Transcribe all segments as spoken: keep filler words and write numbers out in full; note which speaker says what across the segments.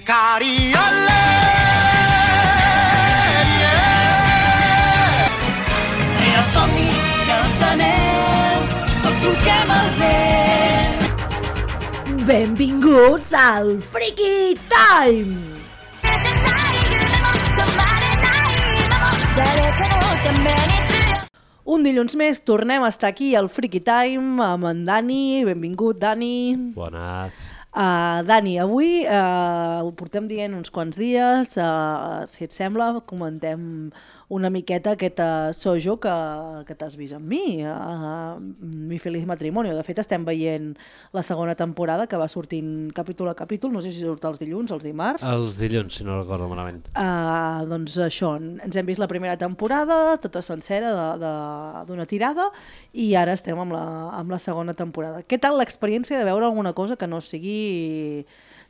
Speaker 1: Cariole, yeah.
Speaker 2: I els somnis i els anells tots solquem el vent.
Speaker 3: Benvinguts al Freaky Time! Un dilluns més tornem a estar aquí al Freaky Time amb en Dani. Benvingut, Dani.
Speaker 4: Bones.
Speaker 3: Uh, Dani, avui uh, ho portem dient uns quants dies, uh, si et sembla, comentem una miqueta aquest uh, sojo que, que t'has vist amb mi, uh, Mi Feliz Matrimonio. De fet, estem veient la segona temporada que va sortint capítol a capítol, no sé si surt els dilluns, els dimarts.
Speaker 4: Els dilluns, si no recordo malament.
Speaker 3: Uh, doncs això, ens hem vist la primera temporada, tota sencera d'una tirada, i ara estem amb la, amb la segona temporada. Què tal l'experiència de veure alguna cosa que no sigui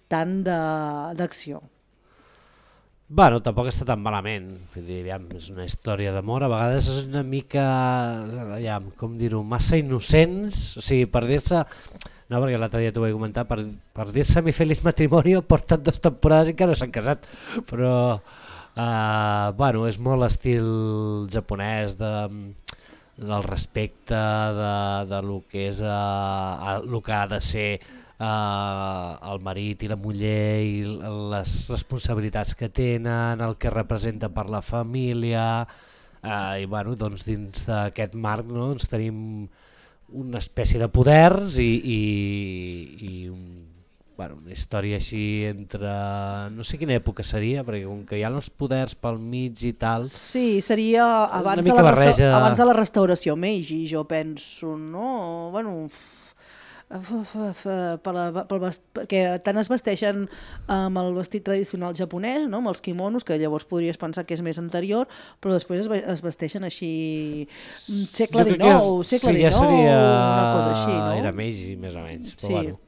Speaker 3: tant d'acció?
Speaker 4: Bueno, tampoc està tan malament. Vull dir, aviam, és una història d'amor. A vegades és una mica, aviam, com dir-ho, massa innocents. O sigui, per dir-se... No, perquè l'altre dia t'ho vaig comentar. Per, per dir-se Mi Feliz Matrimonio porten dues temporades i encara no s'han casat. Però, uh, bueno, és molt estil japonès de... del respecte, de, de lo que és uh, el que ha de ser uh, el marit i la muller i les responsabilitats que tenen, el que representa per la família, uh, i bueno, doncs dins d'aquest marc, no, doncs tenim una espècie de poders i, i, i un, bueno, una història així entre... no sé quina època seria, perquè com que hi ha els poders pel mig i tal...
Speaker 3: Sí, seria abans, de la, resta... abans de la restauració Meiji, jo penso, no? Bueno, per la, per bast... perquè tant es vesteixen amb el vestit tradicional japonès, no? Amb els kimonos, que llavors podries pensar que és més anterior, però després es, es vesteixen així segle dinou, segle
Speaker 4: sí, ja
Speaker 3: dinou,
Speaker 4: seria...
Speaker 3: una cosa així, no?
Speaker 4: Era Meiji, més o menys, però
Speaker 3: sí.
Speaker 4: bueno.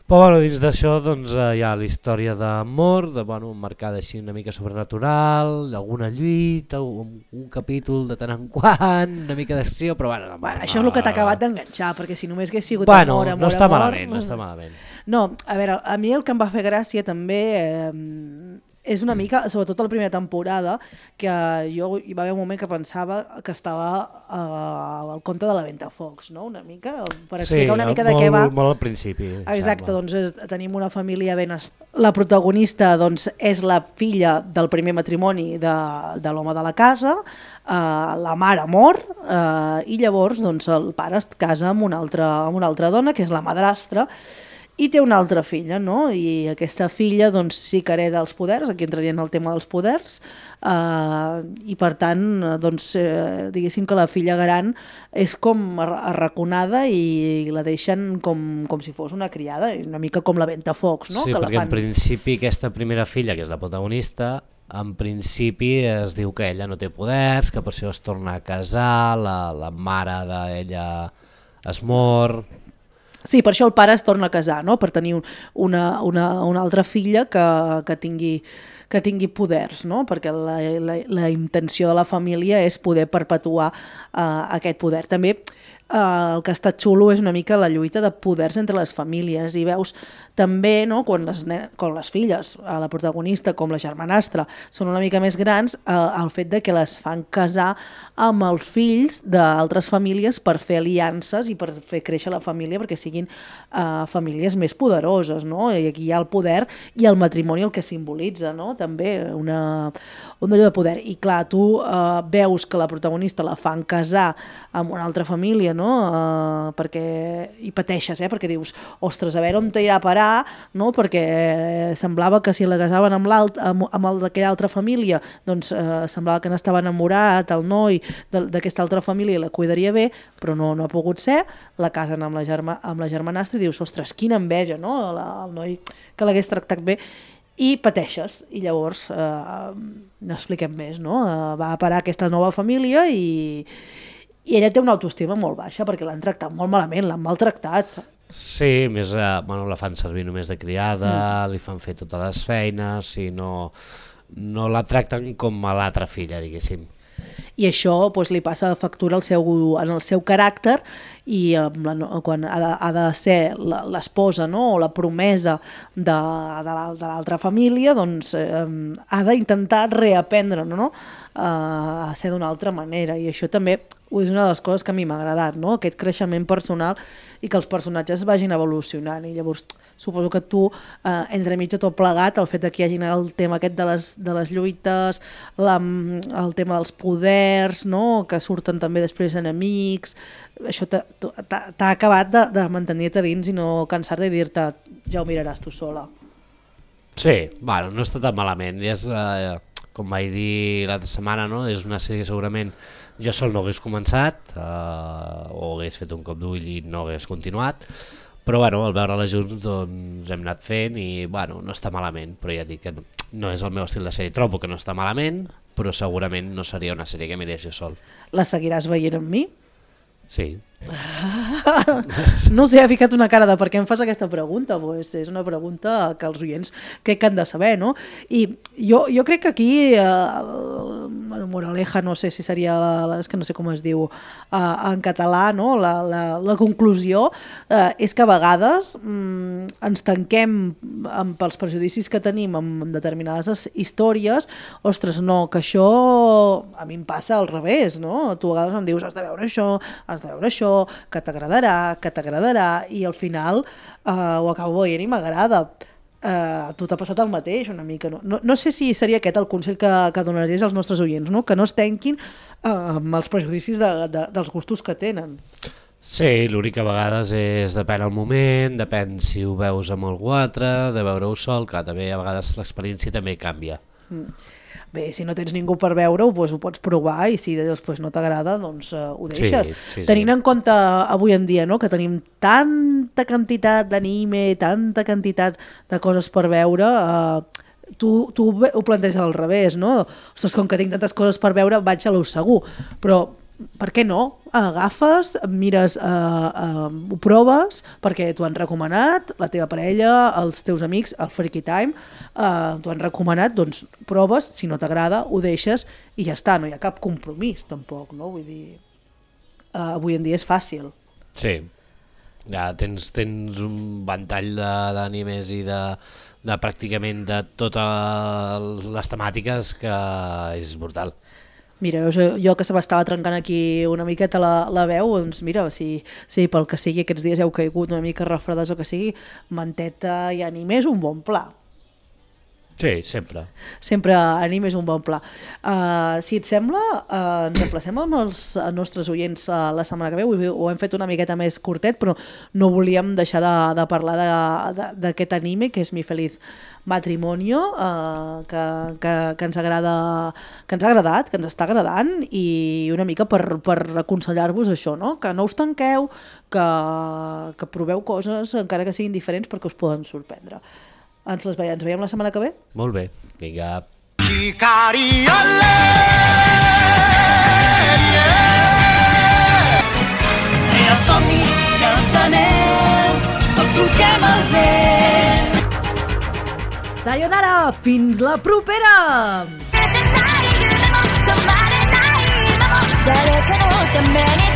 Speaker 4: Però bueno, dins d'això doncs, hi ha la història d'amor, de, bueno, marcada així una mica sobrenatural, alguna lluita, un, un capítol de tant en quant, una mica d'acció, però bueno...
Speaker 3: bueno això és el que t'ha acabat d'enganxar, perquè si només hagués sigut
Speaker 4: bueno,
Speaker 3: amor, amor,
Speaker 4: no està
Speaker 3: amor...
Speaker 4: malament, no està malament.
Speaker 3: No, a veure, a mi el que em va fer gràcia també... Eh, és una mica, sobretot la primera temporada, que jo hi va haver un moment que pensava que estava uh, al conte de la Ventafocs, no? Una mica, per explicar sí, una mica de
Speaker 4: molt,
Speaker 3: què va.
Speaker 4: Molt al principi.
Speaker 3: Exacte, doncs és, tenim una família ben... Est... La protagonista doncs, és la filla del primer matrimoni de, de l'home de la casa, uh, la mare mor, uh, i llavors doncs, el pare es casa amb una, altra, amb una altra dona, que és la madrastra, i té una altra filla, no? I aquesta filla doncs, sí que hereda els poders, aquí entraria en el tema dels poders, eh, i per tant, doncs, eh, diguéssim que la filla gran és com arraconada i la deixen com, com si fos una criada, una mica com la Ventafocs, no?
Speaker 4: Sí,
Speaker 3: que
Speaker 4: perquè
Speaker 3: la fan...
Speaker 4: en principi aquesta primera filla, que és la protagonista, en principi es diu que ella no té poders, que per això es torna a casar, la, la mare d'ella es mor...
Speaker 3: Sí, per això el pare es torna a casar, no? Per tenir una, una, una altra filla que, que, tingui, que tingui poders, no? Perquè la, la, la intenció de la família és poder perpetuar uh, aquest poder. També uh, el que està xulo és una mica la lluita de poders entre les famílies i veus també, no, quan, les, quan les filles, la protagonista com la germanastra, són una mica més grans, eh, el fet de que les fan casar amb els fills d'altres famílies per fer aliances i per fer créixer la família perquè siguin eh, famílies més poderoses, no? I aquí hi ha el poder i el matrimoni el que simbolitza, no? També una, un allò de poder. I clar, tu eh, veus que la protagonista la fan casar amb una altra família, no? Eh, perquè hi pateixes, eh? Perquè dius, ostres, a veure on t'irà a parar, no? Perquè semblava que si la casaven amb, amb, amb el d'aquella altra família doncs eh, semblava que n'estava enamorat el noi d'aquesta altra família i la cuidaria bé, però no, no ha pogut ser, la casen amb la, germa, amb la germanastra i dius, ostres, quina enveja, no? La, el noi que l'hagués tractat bé, i pateixes, i llavors eh, no expliquem més, no? Eh, va a parar aquesta nova família i, i ella té una autoestima molt baixa perquè l'han tractat molt malament, l'han maltractat.
Speaker 4: Sí, més, eh, bueno, la fan servir només de criada, mm. li fan fer totes les feines i no, no la tracten com a l'altra filla, diguéssim.
Speaker 3: I això doncs, li passa factura al seu, en el seu caràcter i la, quan ha de, ha de ser l'esposa, no? O la promesa de, de l'altra família, doncs eh, ha d'intentar reaprendre, no? a ser d'una altra manera, i això també és una de les coses que a mi m'ha agradat, no? Aquest creixement personal i que els personatges vagin evolucionant, i llavors suposo que tu, eh, entremig de tot plegat, el fet que hi hagi el tema aquest de les, de les lluites, la, el tema dels poders, no? Que surten també després enemics, això t'ha acabat de, de mantenir-te dins i no cansar-te i dir-te ja ho miraràs tu sola.
Speaker 4: Sí, bueno, no està tan malament, ja és... Eh... com vaig dir l'altra setmana, no? És una sèrie que segurament jo sol no hagués començat eh, o hagués fet un cop d'ull i no hagués continuat, però bueno, al veure-la junts doncs, hem anat fent i bueno, no està malament, però ja dic que no, no és el meu estil de sèrie, trobo que no està malament, però segurament no seria una sèrie que mirés jo sol.
Speaker 3: La seguiràs veient amb mi?
Speaker 4: Sí.
Speaker 3: No sé, ha ficat una cara de per què em fas aquesta pregunta, pues és una pregunta que els oients crec que han de saber, no? I jo, jo crec que aquí eh, el moraleja, no sé si seria la, la, és que no sé com es diu eh, en català, no? la, la, la conclusió eh, és que a vegades mm, ens tanquem amb, pels prejudicis que tenim amb, amb determinades històries. Ostres, no, que això a mi em passa al revés, no? Tu a vegades em dius has de veure això, has de veure això, que t'agradarà, que t'agradarà, i al final eh, ho acabo veient i m'agrada. Eh, tu t'ha passat el mateix una mica, no? No, no sé si seria aquest el consell que, que donaries als nostres oients, no? Que no es tanquin eh, amb els prejudicis de, de, dels gustos que tenen.
Speaker 4: Sí, l'únic que a vegades és depèn el moment, depèn si ho veus amb algú altre, de veure-ho sol, que també a vegades l'experiència també canvia. Mm.
Speaker 3: Bé, si no tens ningú per veure-ho, doncs ho pots provar, i si després no t'agrada, doncs uh, ho deixes. Sí, sí, Tenint sí. en compte avui en dia, no?, que tenim tanta quantitat d'anime, tanta quantitat de coses per veure, uh, tu, tu ho planteges al revés, no? Ostres, com que tinc tantes coses per veure, vaig a lo segur. Però per què no? Agafes, mires, eh, eh, ho proves perquè t'ho han recomanat, la teva parella, els teus amics, el Freaky Time, eh, t'ho han recomanat, doncs proves, si no t'agrada, ho deixes i ja està, no hi ha cap compromís tampoc, no? Vull dir, eh, avui en dia és fàcil.
Speaker 4: Sí, ja tens, tens un ventall d'animes i de, de pràcticament de totes les temàtiques que és brutal.
Speaker 3: Mira, jo, jo que se m'estava trencant aquí una miqueta la, la veu, doncs mira, si, si pel que sigui aquests dies heu caigut una mica refredats o que sigui, manteta i anime és un bon pla.
Speaker 4: Sí, sempre.
Speaker 3: Sempre anime és un bon pla. Uh, si et sembla, uh, ens emplacem amb els nostres oients uh, la setmana que ve, ho hem fet una miqueta més curtet, però no volíem deixar de, de parlar d'aquest anime, que és Mi Feliz Matrimonio, uh, que, que, que, ens agrada, que ens ha agradat, que ens està agradant, i una mica per, per aconsellar-vos això, no? Que no us tanqueu, que, que proveu coses, encara que siguin diferents, perquè us poden sorprendre. Ens les veiem, ens veiem la setmana que ve?
Speaker 4: Molt bé, vinga.
Speaker 2: I els somnis i els anells, tots solquem el vent.
Speaker 3: Sayonara, fins la propera!
Speaker 1: 誰かのために